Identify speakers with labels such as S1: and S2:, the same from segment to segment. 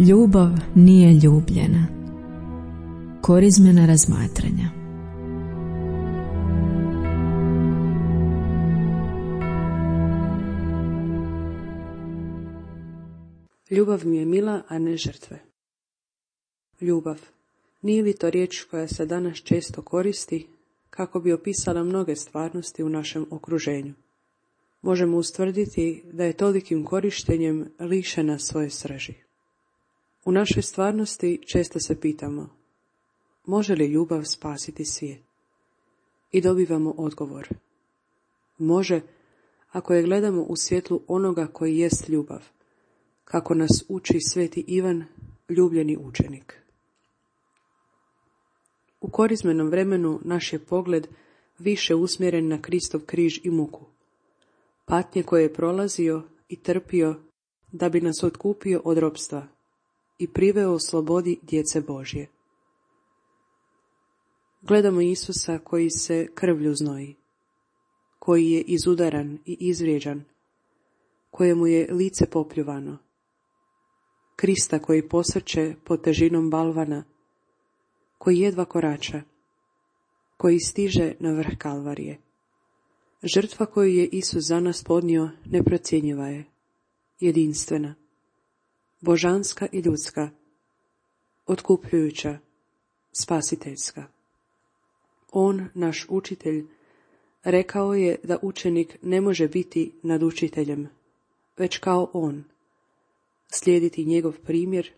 S1: Ljubav nije ljubljena. Korizmena razmatranja.
S2: Ljubav mi je mila, a ne žrtve. Ljubav. Nije li to riječ koja se danas često koristi kako bi opisala mnoge stvarnosti u našem okruženju? Možemo ustvrditi da je tolikim korištenjem lišena svoje srži. U našoj stvarnosti često se pitamo, može li ljubav spasiti svijet? I dobivamo odgovor. Može, ako je gledamo u svjetlu onoga koji jest ljubav, kako nas uči sveti Ivan, ljubljeni učenik. U korizmenom vremenu naš je pogled više usmjeren na Kristov križ i muku, patnje koje je prolazio i trpio da bi nas otkupio od ropstva i priveo slobodi djece Božje. Gledamo Isusa koji se krvlju znoji, koji je izudaran i izvrijeđan, kojemu je lice popljuvano, Krista koji posrće pod težinom balvana, koji jedva korača, koji stiže na vrh Kalvarije. Žrtva koju je Isus za nas podnio neprocjenjiva je, jedinstvena, božanska i ljudska, otkupljujuća, spasiteljska. On, naš učitelj, rekao je da učenik ne može biti nad učiteljem, već kao on, slijediti njegov primjer,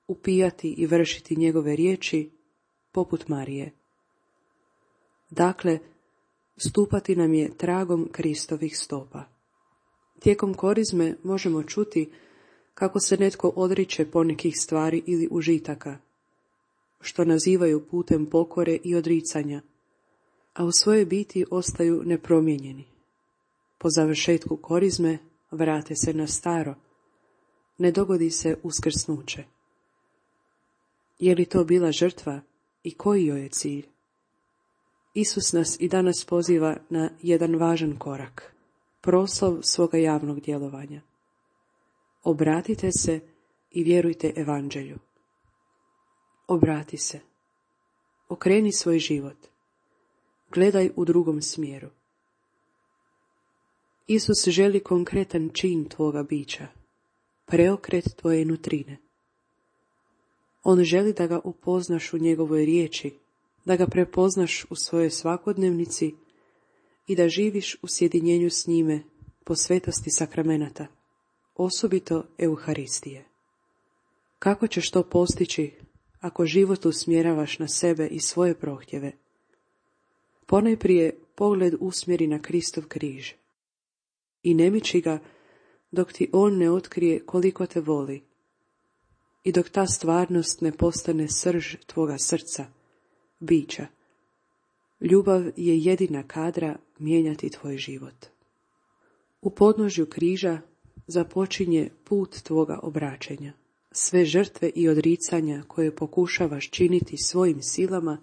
S2: upijati i vršiti njegove riječi, poput Marije. Dakle, stupati nam je tragom Kristovih stopa. Tijekom korizme možemo čuti kako se netko odriče ponekih stvari ili užitaka, što nazivaju putem pokore i odricanja, a u svojoj biti ostaju nepromijenjeni. Po završetku korizme vrate se na staro, ne dogodi se uskrsnuće. Je li to bila žrtva i koji joj je cilj? Isus nas i danas poziva na jedan važan korak, proslov svoga javnog djelovanja. Obratite se i vjerujte evanđelju. Obrati se. Okreni svoj život. Gledaj u drugom smjeru. Isus želi konkretan čin tvoga bića, preokret tvoje nutrine. On želi da ga upoznaš u njegovoj riječi, da ga prepoznaš u svojoj svakodnevnici i da živiš u sjedinjenju s njime po svetosti sakramenata, osobito Euharistije. Kako ćeš to postići ako život usmjeravaš na sebe i svoje prohtjeve? Ponajprije pogled usmjeri na Kristov križ i ne miči ga dok ti on ne otkrije koliko te voli i dok ta stvarnost ne postane srž tvoga srca, bića. Ljubav je jedina kadra mijenjati tvoj život. U podnožju križa započinje put tvoga obraćenja. Sve žrtve i odricanja koje pokušavaš činiti svojim silama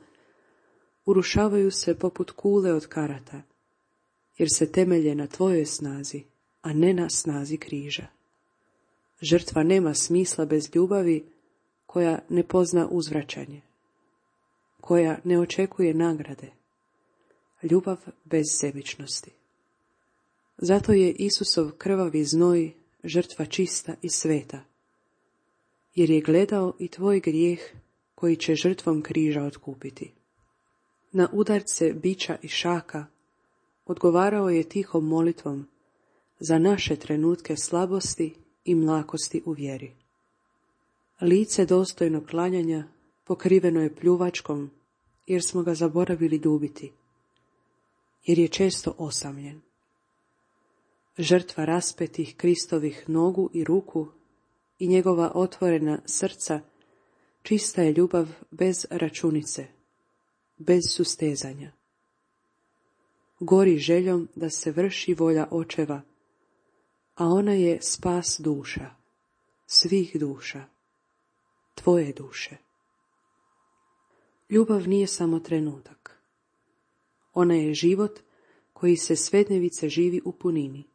S2: urušavaju se poput kule od karata, jer se temelje na tvojoj snazi, a ne na snazi križa. Žrtva nema smisla bez ljubavi koja ne pozna uzvraćanje, koja ne očekuje nagrade, ljubav bez sebičnosti. Zato je Isusov krvavi znoj žrtva čista i sveta, jer je gledao i tvoj grijeh koji će žrtvom križa otkupiti. Na udarce bića i šaka odgovarao je tihom molitvom za naše trenutke slabosti i mlakosti u vjeri. Lice dostojno klanjanja pokriveno je pljuvačkom, jer smo ga zaboravili ljubiti, jer je često osamljen. Žrtva raspetih Kristovih nogu i ruku i njegova otvorena srca čista je ljubav bez računice, bez sustezanja. Gori željom da se vrši volja očeva, a ona je spas duša, svih duša, tvoje duše. Ljubav nije samo trenutak. Ona je život koji se svednevice živi u punini.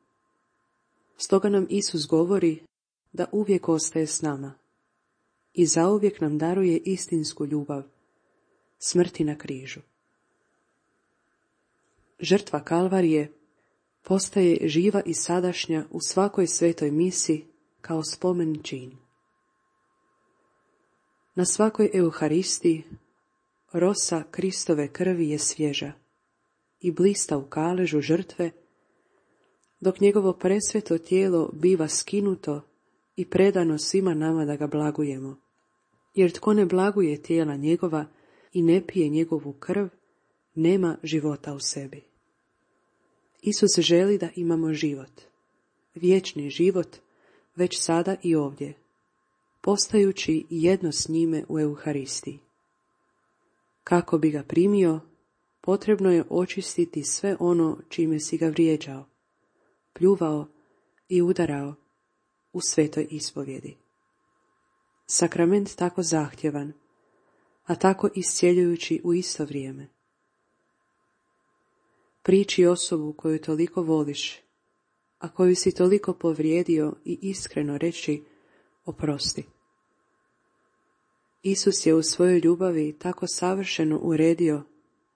S2: Stoga nam Isus govori da uvijek ostaje s nama, i zauvijek nam daruje istinsku ljubav, smrti na križu. Žrtva Kalvarije postaje živa i sadašnja u svakoj svetoj misi kao spomen čin. Na svakoj Euharistiji rosa Kristove krvi je svježa i blista u kaležu žrtve, dok njegovo presveto tijelo biva skinuto i predano svima nama da ga blagujemo. Jer tko ne blaguje tijela njegova i ne pije njegovu krv, nema života u sebi. Isus želi da imamo život, vječni život, već sada i ovdje, postajući jedno s njime u Euharistiji. Kako bi ga primio, potrebno je očistiti sve ono čime si ga vrijeđao, pljuvao i udarao u svetoj ispovjedi. Sakrament tako zahtjevan, a tako iscjeljujući u isto vrijeme. Priči osobu koju toliko voliš, a koju si toliko povrijedio i iskreno reći oprosti. Isus je u svojoj ljubavi tako savršeno uredio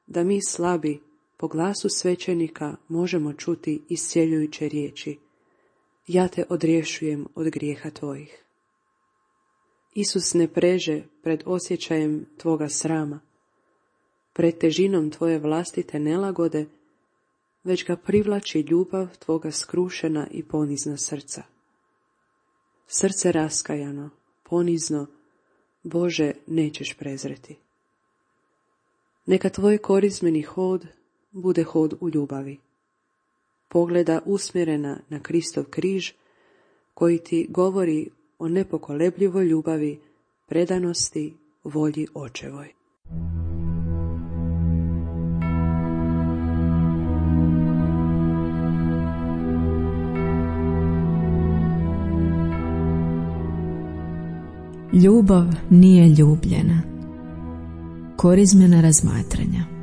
S2: da mi slabi po glasu svećenika možemo čuti iscjeljujuće riječi: ja te odrješujem od grijeha tvojih. Isus ne preže pred osjećajem tvoga srama, pred težinom tvoje vlastite nelagode, već ga privlači ljubav tvoga skrušena i ponizna srca. Srce raskajano, ponizno, Bože, nećeš prezreti. Neka tvoj korizmeni hod bude hod u ljubavi. Pogleda usmjerena na Kristov križ, koji ti govori o nepokolebljivoj ljubavi, predanosti, volji Očevoj.
S1: Ljubav nije ljubljena. Korizmena razmatranja.